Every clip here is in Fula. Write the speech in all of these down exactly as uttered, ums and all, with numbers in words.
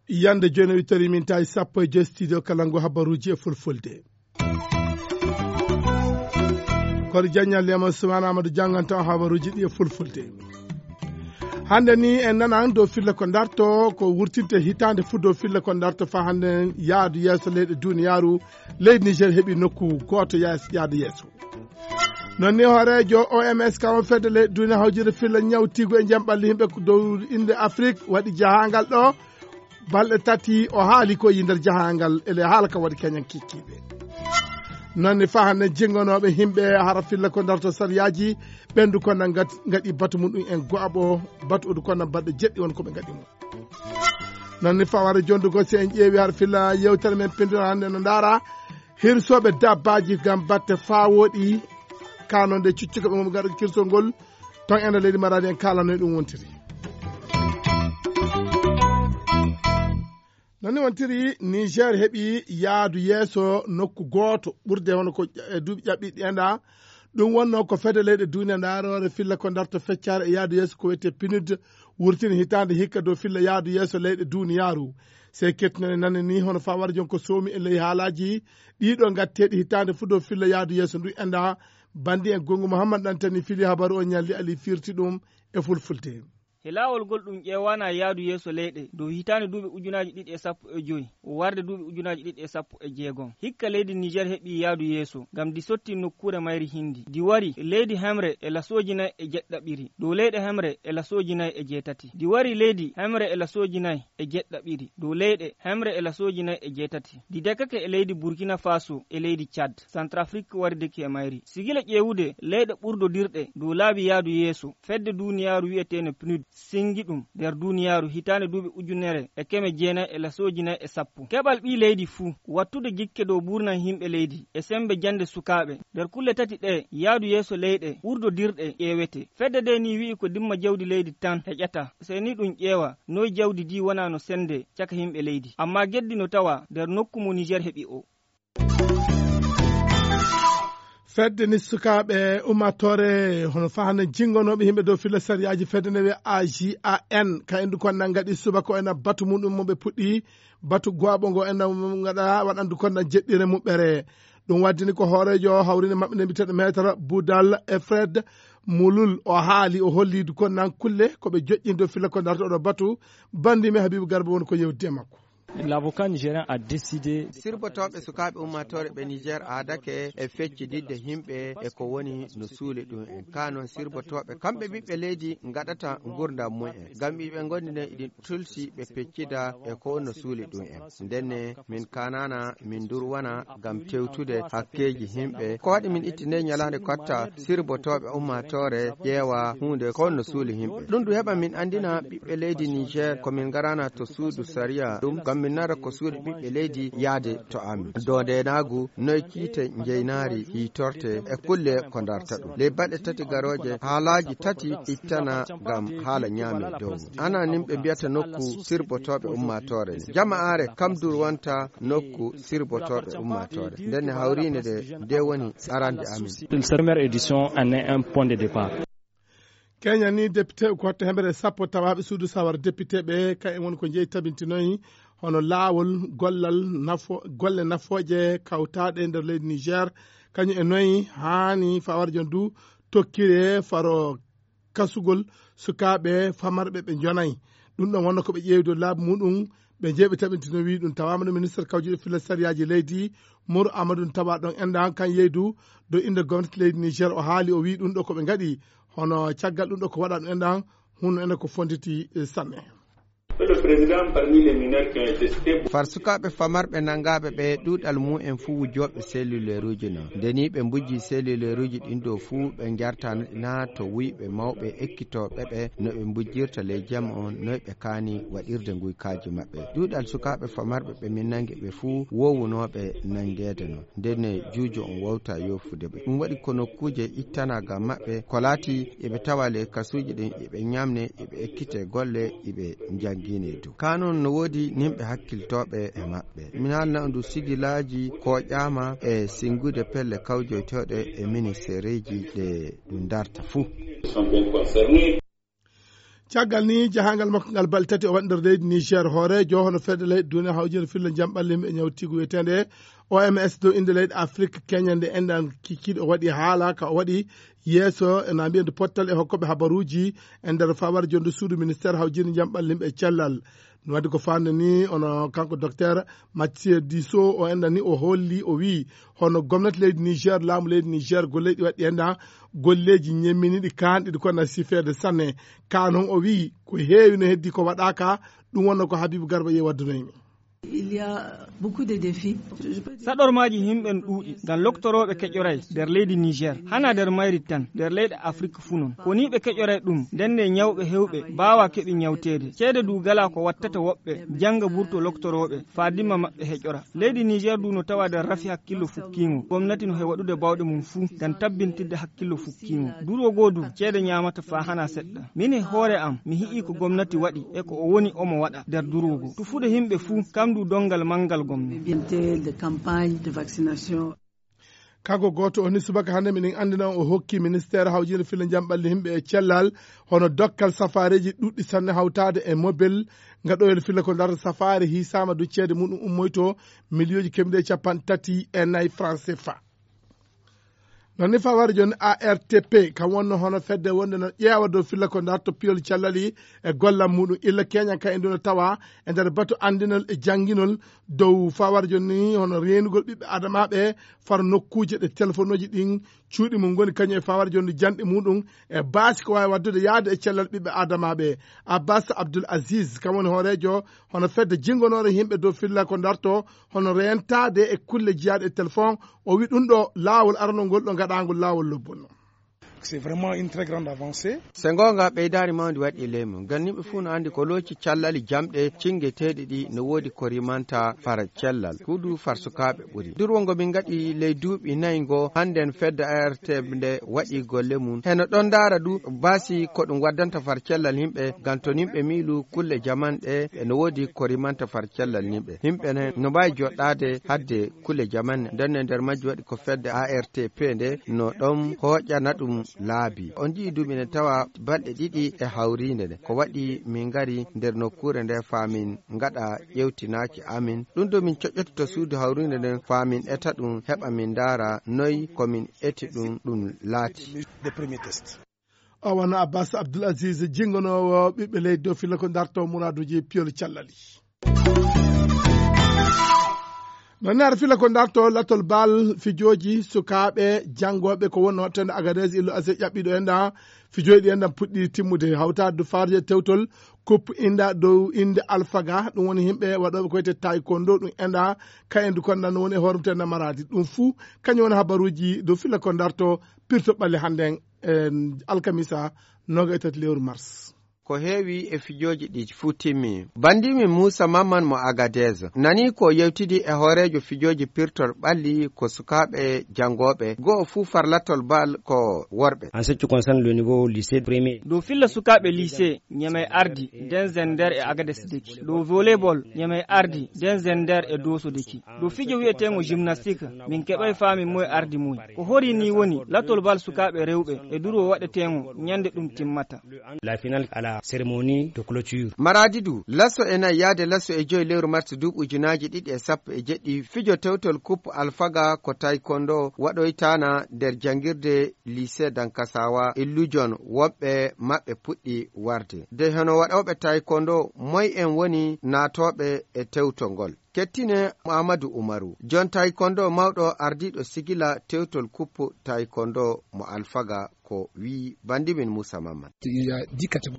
Yande jooni wittori min tawi sappo e joy studio kala ngu habaruuji e fulfulde. Kono jaññal lema Sumaana Amadou jannganto habaruuji ɗi e fulfulde. Hannde ni en nanan dow filla ko darto ko wurtinte hitaande fuu dow filla ko darto fa hannde yaadu yeeso leyɗe duniyaaru, leydi Niger heɓi nokku gooto yaas- yaadu yeeso. Non ni hooreejo O M S ka on fedde leyɗe duniya hawjirde filla ñawtiigu e jam ɓalli yimɓe ko dow innde Afrik waɗi jahaangal ɗo balɗe tati o haali ko yi nder jahaangal ele haala ka waɗi keñan kikkiiɓe. Non ni fa hannde jinngonooɓe yimɓe hara filla ko darto sariyaaji ɓendu ko nan ngaɗi batu muɗum en go'aɓo batu odu ko nan baɗɗo jeɗɗi won ko ɓe ngaɗi mo. Non ni fawara jondugo si en ƴeewi har filla yewtere men pindira hannde no ndaara hirsooɓe dabbaaji ngam batte faa wooɗi kanonde cuccuka ɓe mum ngaɗa kirsol ngol ton ena leydi maradi en kaalanoy ɗum wontiri. Non ni wontiri Niger heɓi yaadu yeeso nokku gooto ɓurde hono ko e duuɓi ƴaɓɓiɗi enda. Ɗum wonno ko fedde leyɗe duniya ndaarore filla ko darto feccare e yaadu yeeso ko wiyetee pinud wurtini hitaande hikka dow filla yaadu yeeso leyɗe duniyaaru. Sey kettinone nane ni hono fawara jon ko soomi e ley haalaaji ɗiɗo ngatteeɗi hitaande fuu dow filla yaadu yeeso ndu enda. Bandi en gongu Muhammad Dantani fili habaru o ñalli ali firti ɗum e fulfulde. He laawol ngol ɗum ƴeewana yaadu yeeso leyɗe dow hitaande duuɓi ujunaaji ɗiɗi e sappo e joy warde duuɓi ujunaaji ɗiɗi e sappo e jeegom. Hikka leydi Niger heɓi yaadu yeeso ngam ndi sotti nokkuure mayri hindi. Ndi wari leydi hemre e lasooji nay e jeɗɗaɓiri dow leyɗe hemre e lasooji nay e jeetati. Ndi wari leydi hemre e lasooji nay e jeɗɗaɓiri dow leyɗe hemre e lasooji nay e jeetati. Ndi dekake e leydi Burkina Faso e leydi Tchad. Centrafrique wari deki e mayri. Sigila ƴeewude leyɗe ɓurdodirɗe dow laabi yaadu yeeso fedde duniyaaru wiyeteene pinud singi ɗum nder duniyaaru hitaande duuɓi ujunere e keme jeenay e lasooji nay e sappo. Keɓal ɓii leydi fuu wattude jikke dow buurnan yimɓe leydi e sembe jannde sukaaɓe. Nder kulle tati ɗe yaadu yeeso leyɗe ɓurdodirɗe ƴeewete. Fedde nde ni wi'i ko dimma jawdi leydi tan heƴata. Sey ni ɗum ƴeewa noy jawdi ndi wona no sende caka yimɓe leydi. Amma geddi no tawa nder nokku mo Niger heɓi o. Fedde ni sukaaɓe ummatore hono fahana jingonooɓe yimɓe dow filla sariyaaji fedde nde wiya A G A N ka endu kon nan ngaɗi subaka o ena batu muɗum mo ɓe puɗɗi batu goaɓo ngo ena ngaɗa waɗandu kon nan jeɗɗire muɓɓere. Ɗum waddini ko hooreejo hawrinde maɓɓe nde mbiteɗo maître Boudal Efred Mulul o haali o hollidu kon nan kulle ko ɓe joƴƴindo filla ko darto oɗo batu. Bandi mi Habibu Garba woni ko yewtide e makko. L'avocat nigérien a décidé. Sirbotooɓe sukaaɓe ummatore ɓe Niger aadake e feccididde yimɓe e ko woni no suuli ɗum en ka noon sirbotooɓe kamɓe ɓiɓɓe leydi ngaɗata ngurdam mum en ngam iɓe ngondi nden iɗin tulsi ɓe peccida e ko no suuli ɗum en. Ndenne min kanana min durwana ngam tewtude hakkeeji yimɓe ko waɗi min itti nde ñalaande kotta sirbotooɓe ummatore ƴeewa huunde ko no suuli yimɓe ɗum ɗum heɓa min anndina ɓiɓɓe leydi Niger ko min ngarana to suudu sariya ɗum ngam min nara ko suuɗi ɓiɓɓe leydi yaade to amin dow ndenaagu noy kiite njeynaari hiitorte e kulle ko darta ɗum ley baɗe tati garooje haalaaji tati ittana ngam haala ñaame dow mum ana nin ɓe mbiyata nokku sirbotooɓe ummaatoore nde jama'aare kam durwanta nokku sirbotooɓe ummaatoore ndenne hawriinde nde nde woni arande amin. Cette première édition en est un point de départ. Kenya ni député ko hoto hemere sappo tawaɓe suudu sawara député ɓe kay en woni ko jeeyi tabintinoyi hono laawol gollal nafo golle nafooje kawtaaɗe e nder leydi Niger kañum e noyi haani fawarjo ndu tokkire faro kasugol sukaaɓe famarɓe ɓe njonayi. Ɗum ɗon wonno ko ɓe ƴeewi dow laabi muɗum ɓe jeeɓi tabintino wi ɗum tawama no ministre kawjuɗo filla sariyaaji leydi Moro Amadou tawa ɗon enɗan kan yeydu dow innde gomnati leydi Niger o haali o wi ɗum ɗo ko ɓe ngaɗi hono caggal ɗum ɗo ko waɗa ɗum enɗan hunno ene ko fonditi sanne. Far sukaaɓe famarɓe nangaaɓe ɓe ɗuuɗal mumen fuu wujooɓe selluleeruuji non. Nde nii ɓe mbujjii selluleeruuji ɗin ɗoo fuu ɓe njartana ɗi naa to wuyɓe mawɓe ekkitooɓe ɓe no ɓe mbujjirta ley jam on noy ɓe kaani waɗirde nguykaaju maɓɓe. Ɗuuɗal sukaaɓe famarɓe ɓe min nangi ɓe fuu woowunooɓe nangeede non. Ndenne juujo on wawta yoofude ɓe. Ɗum waɗi ko nokkuuje ittanaagal maɓɓe ko laati eɓe tawa ley kasuuji ɗin eɓe ñamne eɓe ekkite golle eɓe njannginee. Kaa noon no woodi nimɓe hakkiltooɓe e maɓɓe. Min haalna on du sigilaaji kooƴaama e sinngude pelle kawjoytooɗe e ministeereeji ɗe ɗum darta fuu. Caggal ni jahangal makko ngal balɗe tati o waɗi nder leydi Niger, hooreejo hono fedde leyɗe duniya hawjinde filla jam ɓalli yimɓe ñawtigu wiyeteende O M S dow innde leyɗe Afrik keñande enɗan kikiiɗe o waɗi haala ka o waɗi yeeso ena mbiyande pottal e hokkoɓe habaruuji e nder fawar jonde suudu ministeer hawjinde jam ɓalli yimɓe e cellal. No waɗi ko faande ni ono kanko docteur Mathieu Diso o enɗan ni o holli o wii hono gomnati leydi Niger, laamu leydi Niger, golleeji ɗi waɗi enɗan golleeji ñemminiɗi kaanɗi ɗi konna sifeede sanne. Ka noon o wii ko heewi no heddi ko waɗaaka. Ɗum wonno ko Habibu Garba Yee waddunoymi. Il y a beaucoup de défis. Saɗormaaji himɓe no ɗuuɗi ngam loktorooɓe keƴoray nder leydi Niger, hana nder mayri tan, nder leyɗe Afrik fuu noon. Ko nii ɓe keƴoray ɗum, ndenne ñawɓe heewɓe mbaawaa keɓi ñawteede. Ceede du galaa ko wattata woɓɓe jannga burto loktorooɓe, faa dimma maɓɓe heƴora. Leydi Niger du no tawa nder rafi hakkillo fukkiingo. Gomnati no he waɗude baawɗe mum fuu ngam tabbintinde hakkillo fukkiingo. Durwo goo du, ceede ñaamata faa hana seɗɗa. Min e hoore am, mi hi'i ko gomnati waɗi e ko o woni omo waɗa nder durwo goo. Tufude himɓe fuu, kam du donngal manngal gomnati. Bien de campagne de vaccination. Kanko gooto o ni subaka hannde minen anndina o hokki ministeer hawjinde filla jam ɓalli himɓe e cellal hono dokkal safaareeji ɗuɗɗi sanne hawtaade e mobel ngaɗoyel filla ko darta safaare hiisaama du ceede muɗum ummoyto miliyooji kemɗe capanɗe tati e nayi franc C F A. Noon ni fawar jooni A R T P kam wonno hono fedde wonde no ƴeewa dow filla ko darto piyol callali e gollal muɗum illa keñan kan e ndu no tawa e nder batu anndinol e jannginol dow fawar jooni ni hono reenugol ɓiɓɓe adamaaɓe far nokkuuje ɗe telefonuuji ɗin cuuɗi mum ngoni kañum e fawar jooni janɗi muɗum e baasi ko waawi waɗdude yahde e cellal ɓiɓɓe adamaaɓe. Abbas Abdul Aziz kam woni hooreejo hono fedde jinngonoore yimɓe dow filla ko darto hono reentaade e kulle jiyaaɗe e telefon. O wi ɗum ɗo laawol aranol ngol ɗo ngaɗaangol laawol lobbol. C'est vraiment une très grande avancée. Se ngoonga ɓeydaari mawndi waɗi e leymu ngam yimɓe fuu no anndi ko looci callali jamɗe cinngeteeɗi ɗi no woodi ko rimanta fara cellal huudu far sukaaɓe ɓuri durwo ngo min ngaɗi ley duuɓi nayi ngo hannden fedde A R T nde waɗi golle mum heno ɗon ndaara du baasi ko ɗum waddanta far cellal yimɓe ngam to yimɓe miilu kulle jaman ɗe no woodi ko rimanta far cellal yimɓe yimɓe ne no mbaawi joɗɗaade hadde kulle jaman nde nder majji waɗi ko fedde A R T P nde no ɗon hooƴana ɗum laabi on nji'i duuɓi ne tawa balɗe ɗiɗi e hawriinde nde ko waɗi min ngari nder nokkuure nde faa min ngaɗa ƴewtinaaki amin ɗum ɗo min coƴƴoto to suudu hawriinde nden faa min eta ɗum heɓa min ndaara noy ko min eti ɗum ɗum laati. O wano Abbas Abdul Aziz jingonoowo ɓiɓɓe leydi dow filla ko darto muraaduuji piyol callali. Noon ne hara filla ko darto lattol bal fijooji sukaaɓe janngooɓe ko wonno waɗtande Agadez illo ase ƴaɓɓiɗo en ɗa fijooji ɗi en ɗan puɗɗi timmude hawtaade du farje tewtol kup inda dow innde alfaga ɗum woni yimɓe waɗooɓe ko wiyetee taekwondo ɗum enɗa kayen du konda no woni e hoore mum maradi ɗum fuu kañum woni habaruuji dow filla ko darto pirto ɓalli hannden e alkamisa noga e tati lewru mars. Ko heewi e fijooji ɗi fuu timmi. Bandimin Muusa Mamman mo Agadez nani ko yewtidi e hooreejo fijooji pirtol ɓalli ko sukaaɓe janngooɓe go'o fuu farlatol bal ko worɓe. En ce qui concerne le niveau lycée premier. Dow filla sukaaɓe lycée ñemey ardi den zender e Agadez deki dow volleyball ñemey ardi den zender e dooso deki dow fijo wi'eteengo gymnastique min keɓay faamin moye ardi moye ko hori ni woni latol bal sukaaɓe rewɓe e durwo waɗeteengo ñande ɗum timmata. La finale à la cérémonie de clôture. Maradi du laso e nayi yaade laso e joyi lewru mars duuɓi ujunaaji ɗiɗi e sappo e jeɗɗi fijo tewtol kup alfaga ko taekwondo waɗoytaana nder janngirde lycée dankasawa illujon woɓɓe maɓɓe puɗɗi warde de hono waɗooɓe taekwondo moy en woni naatooɓe e tewto ngol. Kettine Muhammadu Umaru jon taekwondo mawɗo ardiiɗo sigila tewtol kuppu taekwondo mo alfaga ko wii bandimin Muusa Mamman.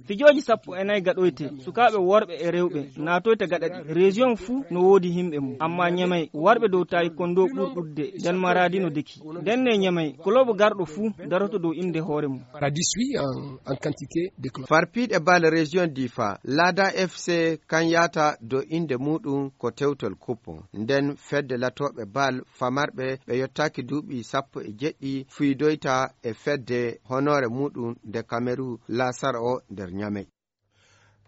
Fijooji sappo e nayi gaɗoyte sukaaɓe worɓe e rewɓe naatoyta gaɗa ɗi région fuu no woodi yimɓe mum amma ñamay warɓe dow taekwondo ɓur ɗuɗde nden maradi no deki ndenne ñamay kolobo garɗo fuu daroto dow innde hoore mum. Paradis wi en en quantité de club. Farpiiɗe bal région difa laada F C kan yaata dow innde muuɗum ko tewtol kuppo nden fedde latooɓe bal famarɓe ɓe yottaaki duuɓi sappo e jeɗɗi fuydoyta e fedde honoore muuɗum nde kameru laasara o nder ñamey.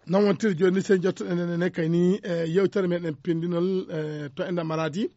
Nan wontiri jooni ni, sey jottoɗen enen ne kay ni, e yewtere meɗen pindinol, e to enda Maradi.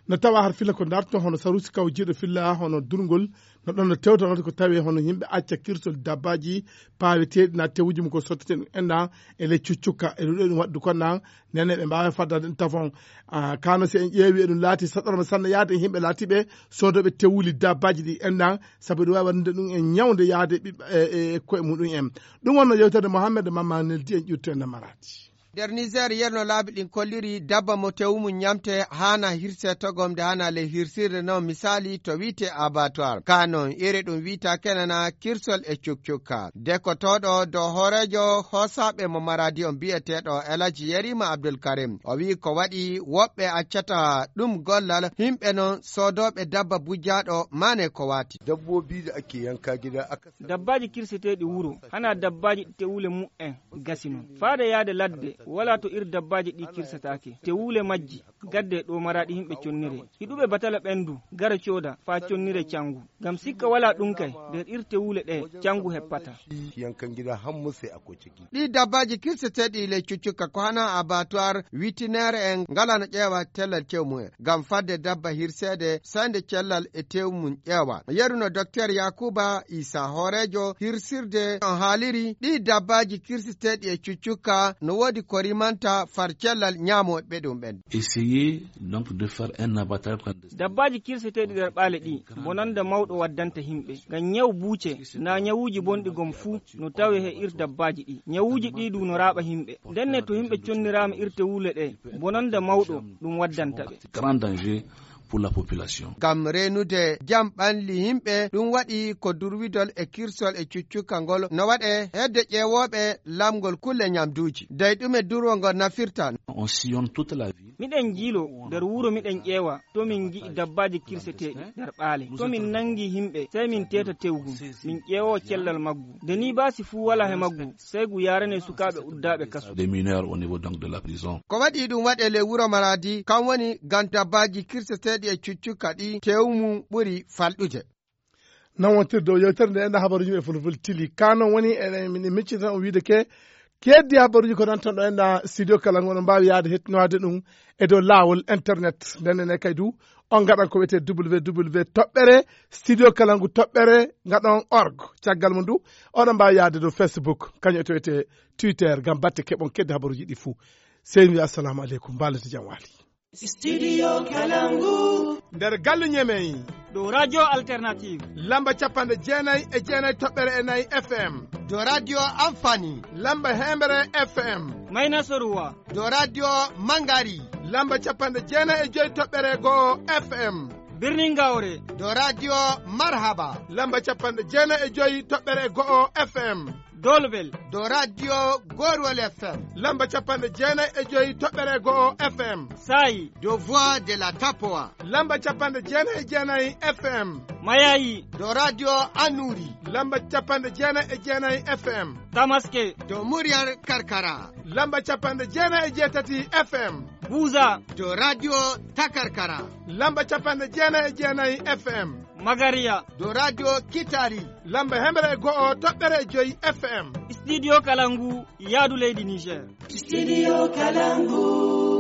No tawa har filla ko darto hono Sarusi Kaw jiiɗo filla hono durngol, no ɗon no tewtanata ko tawi hono yimɓe acca kirsol dabbaji paweteɗi na tewuji mum ko sottete ɗum enda e ley cuccukka. E ɗum ɗo ɗum waɗdu kon nan, nene ɓe mbawa faddade ɗum tafon. Ah, kano si en ƴeewi e ɗum laati saɗorma sanne yaade e yimɓe laatiɓe soodoɓe tewuli dabbaji ɗi enda, sabu ɗum wawi waɗude ɗum en ñawde yaade ɓiɓɓe, e, e koye muɗum en. Ɗum wonno yewtere Mohammed Mamma Neldi en ƴurto enda Maradi. Nder Niger, yerno laabi ɗin kolliri dabba mo tewu mum ñamte hana hirse togom nde hana ley hirsirde non misali to wiite abattoir. Ka non, iri ɗum wiita kenana kirsol e cukcukka. Dekotooɗo dow hooreejo hoosaɓe mo Maradi on bi'eteeɗo Elaji Yerima Abdul Karim. O wi'i ko waɗi woɓɓe accata ɗum gollal, himɓe non soodooɓe dabba bujjaaɗo mane ko waati. Dabbobi da ake yanka gida aka Dabbaaji kirseteeɗi wuro, hana dabbaaji ɗi tewule mu'en gasi non. Faade yaade ladde, walaa to ir dabbaaji ɗi kirsataake. Tewule majji, gadde ɗo Maradi himɓe connire. Hiɗuɓe batala ɓendu, gara cooda, faa connire cangu. Ngam sikka walaa ɗum kay, nder ir tewule ɗe, cangu heppata. Yanka gida hammu sai akwai ciki. Ɗi dabbaaji kirseteeɗi ley cuccukka ko hana abattoir, witineere en ngalano ƴeewa tellal tew mumen. Ngam fadde dabba hirseede, sande cellal e tew mum ƴeewa. Yeruno Dokteer Yakuba Isa, hooreejo hirsirde, on haaliri ɗi dabbaaji kirseteeɗi e cuccukka no woodi ko rimanta far cellal ñaamooɓe ɗum ɓen. Essayer donc de faire un abattoir clandestin. Dabbaaji kirseteeɗi nder ɓaale ɗi, bonanda mawɗo waddanta yimɓe. Ngam ñaw buuce, na ñawuuji bonɗi gom fuu, no tawe he ir dabbaaji ɗi. Ñawuuji ɗi du no raaɓa yimɓe. Ndenne to yimɓe conniraama ir tewule ɗe, bonanda mawɗo ɗum waddanta ɓe. Grand danger pour la population. Ngam reenude jam ɓalli yimɓe, ɗum waɗi ko durwidol e kirsol e cuccukka ngol no waɗe hedde ƴeewooɓe lamngol kulle ñamduuji. Dey ɗume durwo ngol nafirta? On sillonne toute la ville. Miɗen njiilo nder wuro, miɗen ƴeewa to min ngi'i dabbaaji kirseteeɗi nder ɓaale. To min nangi yimɓe, sey min teeta tew ngun, min ƴeewoo cellal maggu. Nde nii baasi fuu walaa he maggu, sey ngu yaarane sukaaɓe uddaaɓe kasu. Des mineurs au niveau donc de la prison. Ko waɗi ɗum waɗe ley wuro Maradi, kam woni ngam dabbaaji kirseteeɗi e cuccukka ɗi tew mum ɓuri falɗude. Nan wontirde o yewtere nde enɗa habaruji e fulful tili. Ka non woni eɗen, min miccita on wiide ke, keddi habaruji ko nan tan ɗo enɗa studio kala ngo, oɗon mbaawi yaade hettinoade ɗum e dow laawol internet. Nden ene kay du, on ngaɗan ko wiyetee W W W toɓɓere studio kala ngu toɓɓere ngaɗon org. Caggal mum du, oɗon mbaawi yaade dow Facebook, kañum e to wiyetee Twitter, ngam batte keɓon keddi habaruji ɗi fuu. Sey mi wiya assalamu aleykum, mbaalete jam waali. Studio Kalangu. Nder galle Ñemey. Dow Radio Alternative. Lamba capanɗe jeenayi e jeenayi toɓɓere e nayi F M. Dow Radio Amfani. Lamba heemere F M. Mayna Soruwa. Dow Radio Mangari. Lamba capanɗe jeenayi e joyi toɓɓere go'o F M. Birnin Gaure. Dow Radio Marhaba. Lamba capanɗe jeenayi e joyi toɓɓere go'o F M. Dolbel. Dow Radio Gorwal F M. Lamba capanɗe jeenayi e joyi toɓɓere go'o F M. Sayi. Dow Voix de la Tapoa. Lamba capanɗe jeenayi e jeenayi F M. Mayayi. Dow Radio Anuri. Lamba capanɗe jeenayi e jeenayi F M. Tamaske. Dow Muryar Karkara. Lamba capanɗe jeenayi e jeetati F M. Buza. Dow Radio Takarkara. Lamba capanɗe jeenayi e jeenayi F M. Magariya. Dow Radio Kitari. Lamba hemre e go'o toɓɓere e joyi F M. Studio Kalangu, yaadu leydi Niger. Studio Kalangu.